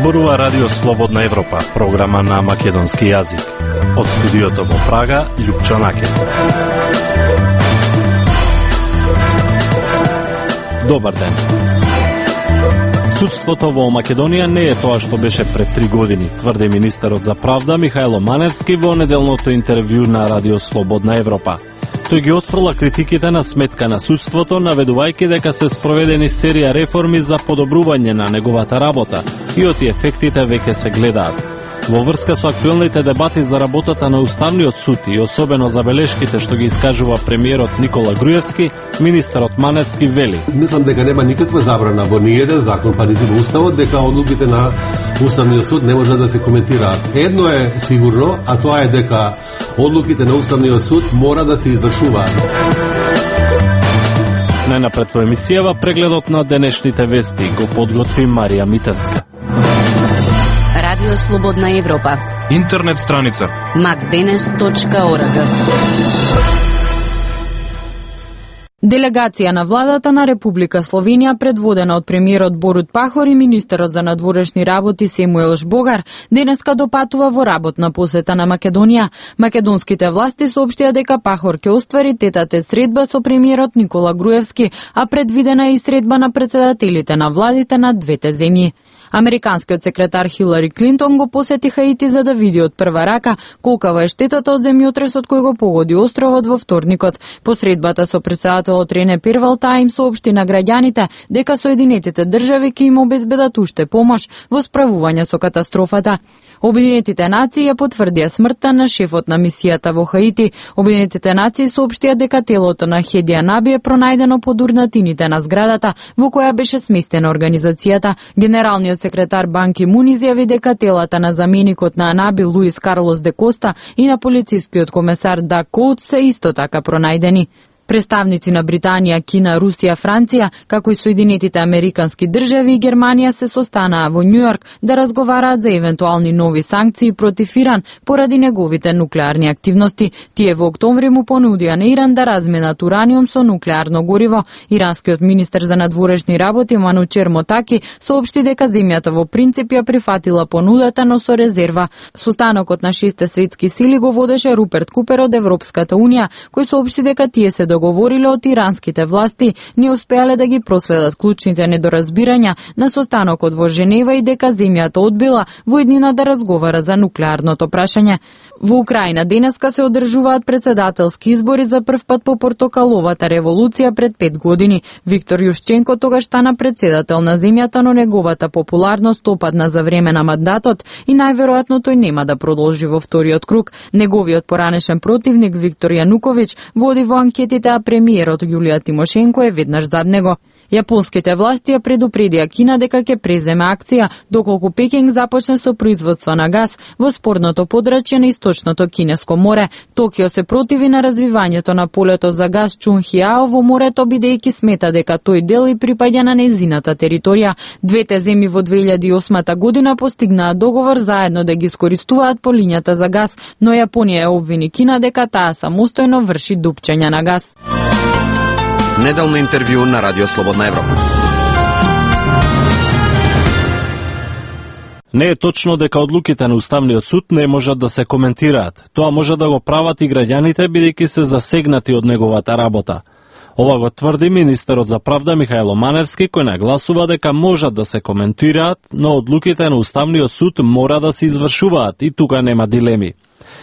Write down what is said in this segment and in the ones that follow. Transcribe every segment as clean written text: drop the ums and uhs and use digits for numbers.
Зборува Радио Слободна Европа, програма на македонски јазик. Од студиото во Прага, Љупчо Наке. Добар ден. Судството во Македонија не е тоа што беше пред 3 години, тврди министерот за правда Михајло Маневски во неделното интервју на Радио Слободна Европа. Тој ги отфрла критиките на сметка на судството, наведувајќи дека се спроведени серија реформи за подобрување на неговата работа и оти ефектите веќе се гледаат. Во врска со актуелните дебати за работата на Уставниот суд и особено забелешките што ги искажува премиерот Никола Груевски, министерот Маневски вели: Мислам дека нема никаква забрана во ниеден закон, па нити во Уставот, дека одлуките на Уставниот суд не може да се коментираат. Едно е сигурно, а тоа е дека одлуките на Уставниот суд мора да се извршуваат. Најнапред во емисијава прегледот на денешните вести го подготви Марија Митевска. Радио Слободна Европа. Интернет страница macdenes.org. Делегација на владата на Република Словенија, предводена од премиерот Борут Пахор и министерот за надворешни работи Семуел Жбогар, денеска допатува во работна посета на Македонија. Македонските власти соопштија дека Пахор ќе оствари тет-а-тет средба со премиерот Никола Груевски, а предвидена е и средба на председателите на владите на двете земји. Американскиот секретар Хилари Клинтон го посети Хаити за да види од прва рака колкава е штетата од земјотресот кој го погоди островот во вторникот. По средбата со председателот Рене Первалта им соопшти на граѓаните дека Соединетите држави ќе им обезбедат уште помош во справување со катастрофата. Обединетите нации ја потврдија смртта на шефот на мисијата во Хаити. Обединетите нации соопштија дека телото на Хеди Анаби е пронајдено под урнатините на зградата во која беше сместена организацијата. Генералниот секретар Бан Ки Мун изјави дека телата на заменикот на Анаби Луис Карлос де Коста и на полицискиот комесар Даг Коут се исто така пронајдени. Представници на Британија, Кина, Русија, Франција, како и Соединетите Американски држави и Германија се состанаа во Њујорк да разговараат за евентуални нови санкции против Иран поради неговите нуклеарни активности. Тие во октомври му понудија на Иран да разменат ураниум со нуклеарно гориво. Иранскиот министер за надворешни работи Манучер Мотаки соопшти дека земјата во принцип ја прифатила понудата, но со резерва. Состанокот на 6 светски сили го водеше Руперт Купер од Европската унија, кој соопшти дека тие се договориле од иранските власти, не успеале да ги проследат клучните недоразбирања на состанокот во Женева и дека земјата одбила во иднина да разговара за нуклеарното прашање. Во Украина денеска се одржуваат председателски избори за прв пат по портокаловата револуција пред 5 години. Виктор Јушченко тогаш стана председател на земјата, но неговата популарност опадна за време на мандатот и најверојатно тој нема да продолжи во вториот круг. Неговиот поранешен противник Виктор Јануковиќ води во анкетите, а премиерот Јулија Тимошенко е веднаш зад него. Јапонските власти ја предупредија Кина дека ќе преземе акција доколку Пекинг започне со производство на газ во спорното подрачје на источното Кинеско море. Токио се противи на развивањето на полето за газ Чунхиао во морето, бидејќи смета дека тој дел и припаѓа на нејзината територија. Двете земји во 2008 година постигнаа договор заедно да ги искористуваат полињата за газ, но Јапонија ја обвини Кина дека таа самостојно врши дупчење на газ. Неделно интервју на Радио Слободна Европа. Не е точно дека одлуките на Уставниот суд не можат да се коментираат. Тоа може да го прават и граѓаните, бидејќи се засегнати од неговата работа. Ова го тврди министерот за правда Михајло Маневски, кој нагласува дека можат да се коментираат, но одлуките на Уставниот суд мора да се извршуваат и тука нема дилеми.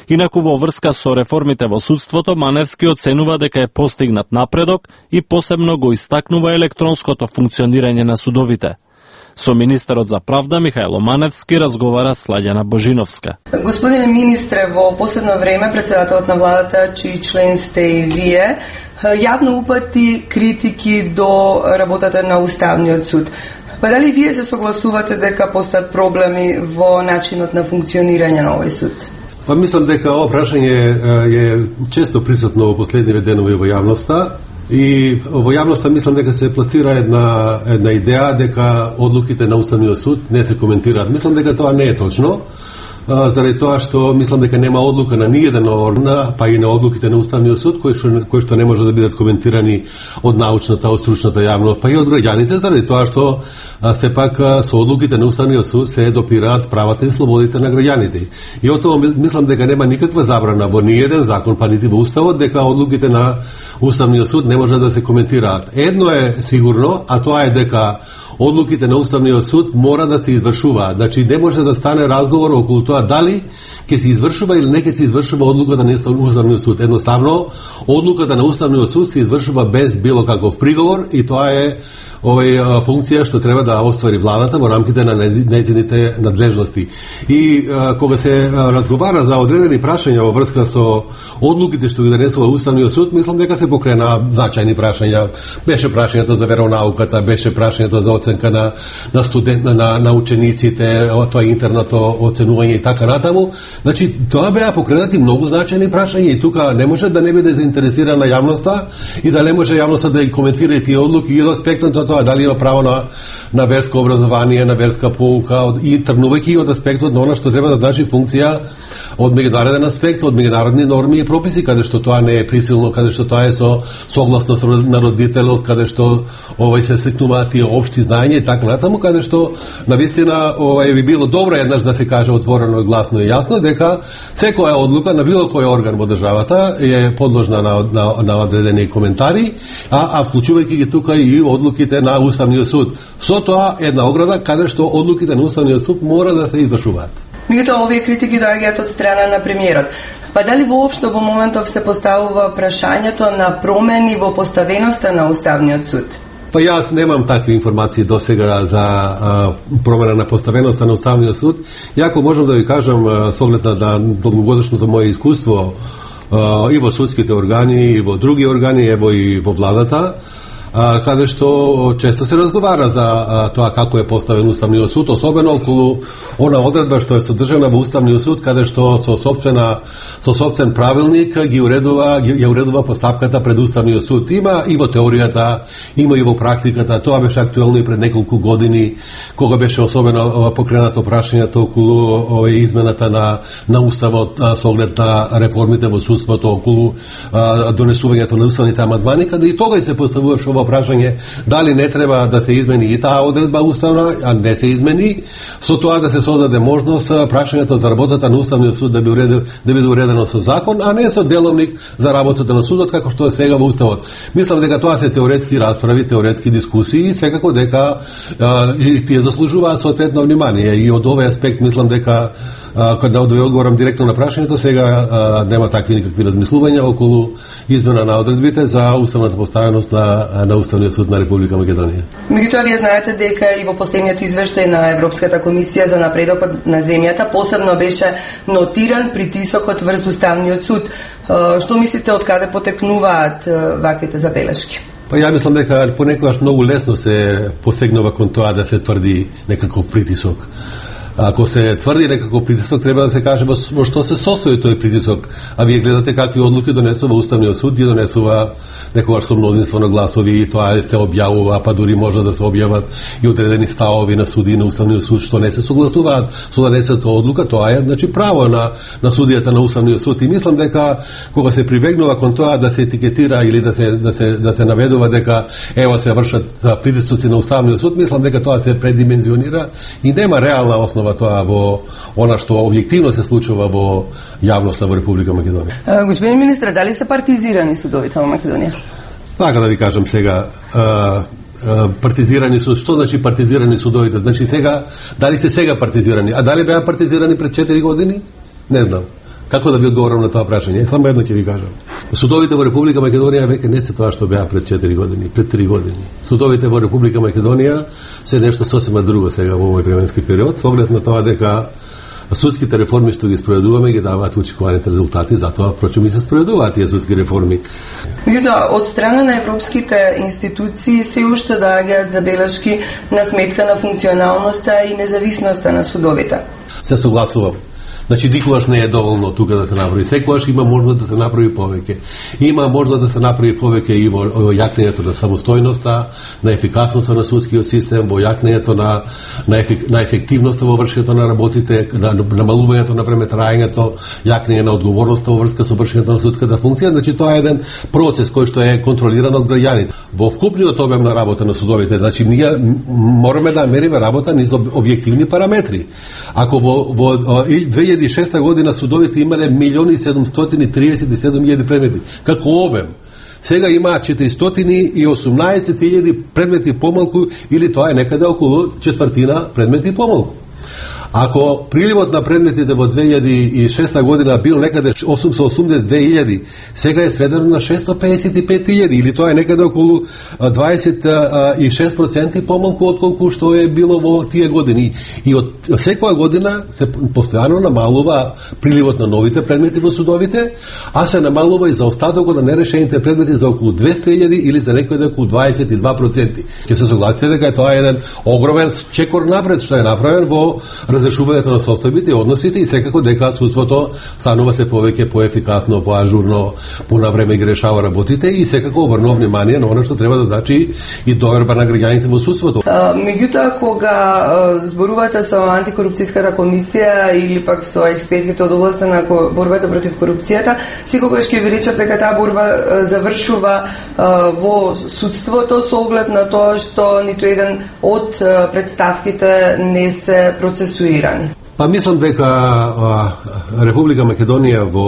Инаку во врска со реформите во судството, Маневски оценува дека е постигнат напредок и посебно го истакнува електронското функционирање на судовите. Со министерот за правда Михајло Маневски разговара Слаѓана Божиновска. Господине министре, во последно време председателот на владата, чиј член сте и вие, јавно упати критики до работата на Уставниот суд. Па дали вие се согласувате дека постојат проблеми во начинот на функционирање на овој суд? Па мислам дека ова прашање е често присутно во последниве денови во јавноста и во јавноста мислам дека се пласира една идеја дека одлуките на Уставниот суд не се коментираат. Мислам дека тоа не е точно. заради тоа што мислам дека нема одлука на ниеден орган, па и на одлуките на Уставниот суд кои што не може да бидат коментирани од научната, од стручната јавност, па и од граѓаните, заради тоа што сепак со одлуките на Уставниот суд се допираат правата и слободите на граѓаните. И од тоа мислам дека нема никаква забрана во ниеден закон, па нити во Уставот, дека одлуките на Уставниот суд не може да се коментираат. Едно е сигурно, а тоа е дека одлуките на Уставниот суд мора да се извршуваат. Значи не може да стане разговор околу тоа дали ќе се извршува или не ќе се извршува одлуката на Уставниот суд. Едноставно, одлуката на Уставниот суд се извршува без било каков приговор и тоа е функција што треба да оствари владата во рамките на нејзините надлежности. И кога се разговара за одредени прашања во врска со одлуките што ги донесува Уставниот суд, мислам дека се покрена значајни прашања. Беше прашањето за веронауката, беше прашањето за оценка на учениците, тоа интерното оценување и така натаму. Значи, тоа беа покренати многу значајни прашања и тука не може да не биде заинтересирана јавноста и да не може јавноста да ги коментира тие одлуки и од аспектот на тоа дали има право на верско образование, на верска поука и тргнувајќи од аспектот на она што треба да значи функција од меѓународен аспект, од меѓународни норми и прописи, каде што тоа не е присилно, каде што тоа е со согласност на родителот, каде што се секнуваат тие општи знаења и така натаму, каде што навистина би било добро еднаш да се каже отворено и гласно и јасно дека секоја одлука на било кој орган во државата е подложна на одредени коментари, а вклучувајќи ги тука и одлуките на Уставниот суд. Со тоа една ограда каде што одлуките на Уставниот суд мора да се извршуваат. Меѓутоа, овие критики доаѓаат од страна на премиерот. Па дали воопшто во моментов се поставува прашањето на промени во поставеноста на Уставниот суд? Па јас немам такви информации до сега за промена на поставеноста на Уставниот суд. Јако можам да ви кажам, со оглед на долгогодишното моје искуство и во судските органи, и во други органи, ево и во владата, каде што често се разговара за тоа како е поставен Уставниот суд, особено околу она одредба што е содржана во Уставниот суд, каде што со сопствен правилник ја уредува постапката пред Уставниот суд. Има и во теоријата, има и во практиката. Тоа беше актуелно и пред неколку години, кога беше особено покренато прашањето околу измената на Уставот со оглед на реформите во судството, околу донесувањето на уставните амандмани, каде и тогаш се поставуваше ова прашање дали не треба да се измени и таа одредба уставна, а не се измени, со тоа да се создаде можност прашањето за работата на Уставниот суд да биде уредено со закон, а не со деловник за работата на судот како што е сега во Уставот. Мислам дека тоа се теоретски расправи, теоретски дискусии и секако дека тие заслужуваат соодветно внимание и од овој аспект мислам дека кога да ви одговорам директно на прашањето, сега нема такви никакви размислувања околу измена на одредбите за уставната поставеност на Уставниот суд на Република Македонија. Меѓутоа, вие знаете дека и во последниот извештај на Европската комисија за напредокот на земјата посебно беше нотиран притисокот врз Уставниот суд. Што мислите, од каде потекнуваат ваквите забелешки? Па ја мислам дека понекогаш многу лесно се посегнува кон тоа да се тврди некаков притисок. Ако се тврди некако притисок, треба да се каже во што се состои тој притисок. А вие гледате какви одлуки донесува Уставниот суд, ги донесува некогаш со мнозинство на гласови и тоа се објавува, па дури може да се објават и одредени ставови на суди на Уставниот суд што не се согласуваат со донесената одлука. Тоа е значи право на судијата на Уставниот суд и мислам дека кога се прибегнува кон тоа да се етикетира или да се наведува дека ево се вршат притисоци на Уставниот суд, мислам дека тоа се предимензионира и нема реална основа тоа во она што објективно се случува во јавноста во Република Македонија. Господин министре, дали се партизирани судовите во Македонија? Така да ви кажам сега, партизирани суд, што значи партизирани судовите? Значи сега, дали се сега партизирани? А дали беа партизирани пред 4 години? Не знам. Како да ви одговорам на тоа прашање? Само едно ќе ви кажам. Судовите во Република Македонија веќе не се тоа што беа пред 4 години, пред 3 години. Судовите во Република Македонија се нешто сосема друго сега во овој временски период, со оглед на тоа дека судските реформи што ги спроведуваме ги даваат очекуваните резултати, затоа впрочем и се спроведуваат тие судски реформи. Меѓутоа, од страна на европските институции се уште доаѓаат забелешки на сметка на функционалноста и независноста на судовите. Се согласувам. Значи, никогаш не е доволно тука да се направи. Секогаш има можност да се направи повеќе. Има можност да се направи повеќе и во јакнењето на самостојноста, на ефикасноста на судскиот систем, во јакнењето на ефективноста во вршењето на работите, на намалувањето на време траењето, јакнење на одговорноста во врска со вршењето на судската функција. Значи, тоа е еден процес кој што е контролиран од граѓаните. Во вкупниот обем на работа на судовите, значи ние мораме да мериме работа низ објективни параметри. Ако во 2006 година судовите имале 1.737.000 предмети како обем, сега имаат 418.000 предмети помалку, или тоа е некаде околу четвртина предмети помалку. Ако приливот на предметите во 2006 година бил некаде 882.000, сега е сведено на 655.000, или тоа е некаде околу 26% помалку отколку што е било во тие години. И од секоја година се постојано намалува приливот на новите предмети во судовите, а се намалува и заостатокот на нерешените предмети за околу 200.000 или за некој околу 22%. Ќе се согласите дека тоа е еден огромен чекор напред што е направен во разрешувањето на состојбите и односите, и секако дека судството станува се повеќе поефикасно, поажурно, понавреме ги решава работите, и секако обрнува внимание на она што треба да дачи и доверба на граѓаните во судството. Меѓутоа, кога зборувате со антикорупцијската комисија или пак со експертите од областа на борбата против корупцијата, секогаш ќе ви речат дека таа борба завршува во судството со оглед на тоа што ниту еден од представките не се процесуира. Па мислам дека Република Македонија во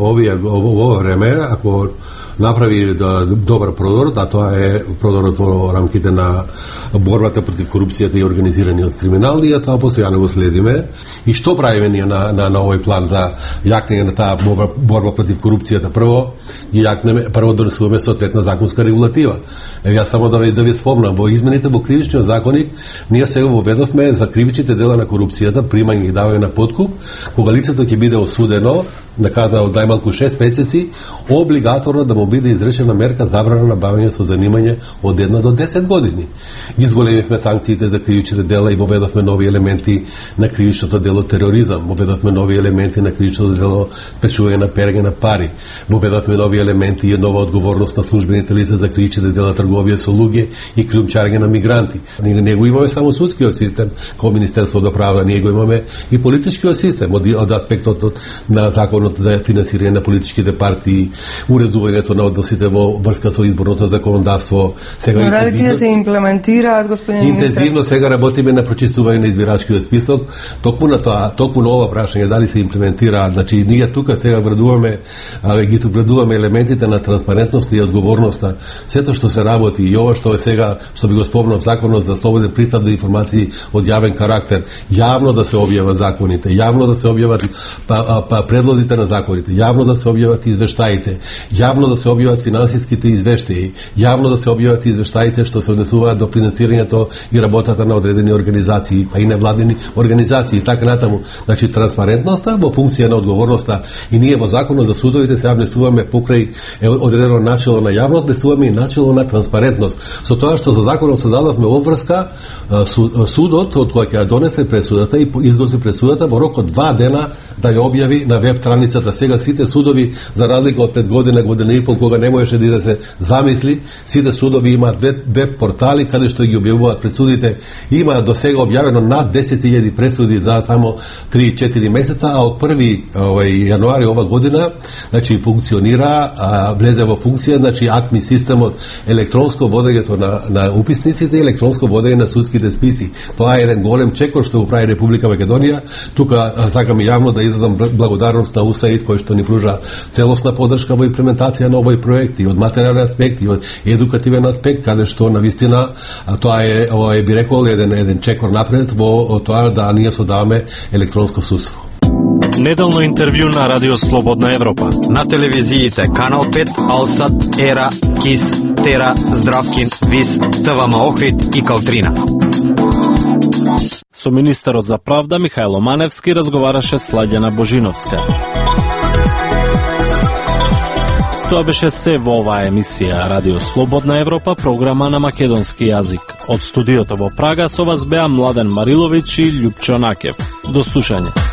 ова време, ако направи добар продор, да тоа е продорот во рамките на борбата против корупцијата и организираниот криминал, и тоа постојано го следиме. И што правиме ние на овој план за јакнење на таа борба против корупцијата? Прво донесуваме соодветна законска регулатива. Јас само да ви спомнам, во измените во кривичниот законник ние сега воведовме за кривичните дела на корупцијата, примање и давање на подкуп, кога лицето ќе биде осудено на казна од најмалку 6 месеци, облигаторно да му биде изречена мерка забрана на бавење со занимање од 1 до 10 години. Изголемивме санкциите за кривичните дела и воведовме нови елементи на кривичното дело тероризам, воведовме нови елементи на кривичното дело пречување на перење на пари, воведовме нови елементи и нова одговорност на службените лица за кривичните дела трговија со луѓе и криумчарење на мигранти. Ние не го имаме само судскиот систем, како Министерство за правда, ние го имаме и политичкиот систем, од аспектот на законот за финансирање на политичките партии, уредувањето на односите во врска со изборното законодавство. Сега дали тие се имплементираат, господин министр? Интензивно сега работиме на прочистување на избирачкиот список, токму на ова прашање дали се имплементираат. Значи ние тука сега вградуваме елементите на транспарентност и одговорноста. Сето што се работи и ова што е сега, што ви го спомнав, законот за слободен пристап до информации од јавен карактер, јавно да се објават законите, јавно да се објават предлозите на законите, јавно да се објават извештаите, јавно да се објават финансиските извештаи, јавно да се објават извештаите што се однесуваат до финансирањето и работата на одредени организации, а и невладени организации, така натаму. Значи транспарентноста во функција на одговорноста, и ние во законот за судовите се внесуваме покрај одредено начело на јавност, внесуваме и начело на транспарентност. Со тоа што за законот создадовме обврска, судот од кој ќе донесе пресудата и изгласи пресудата во рок од 2 дена да ја објави на веб страницата. Сега сите судови, за разлика од 5 година и пол, кога не можеше да се замисли, сите судови имаат веб портали каде што ги објавуваат пресудите. Има до сега објавено над 10.000 пресуди за само 3-4 месеца, а од 1 јануари ова година, значи функционира, влезе во функција, значи АКМИ системот, електронско водењето на уписниците и електронско водење на судските списи. Тоа е еден голем чекор што го прави Република Македонија. Тука сакам јавно да изразам благодарност на УСАИД кој што ни пружа целосна поддршка во имплементација на овој проект и од материјален аспект и од едукативен аспект, каде што навистина тоа е би рекол еден чекор напред во тоа да ние создаваме електронско судство. Неделно интервју на Радио Слободна Европа. На телевизиите Канал 5, Алсат, Ера, Кис, Тера, Здравкин, Вис, ТВМ Охрид и Калтрина. Со министерот за правда Михајло Маневски разговараше Слаѓана Божиновска. Тоа беше се во оваа емисија Радио Слободна Европа, програма на македонски јазик. Од студиото во Прага со вас беа Младен Мариловиќ и Љупчо Накев. До слушање.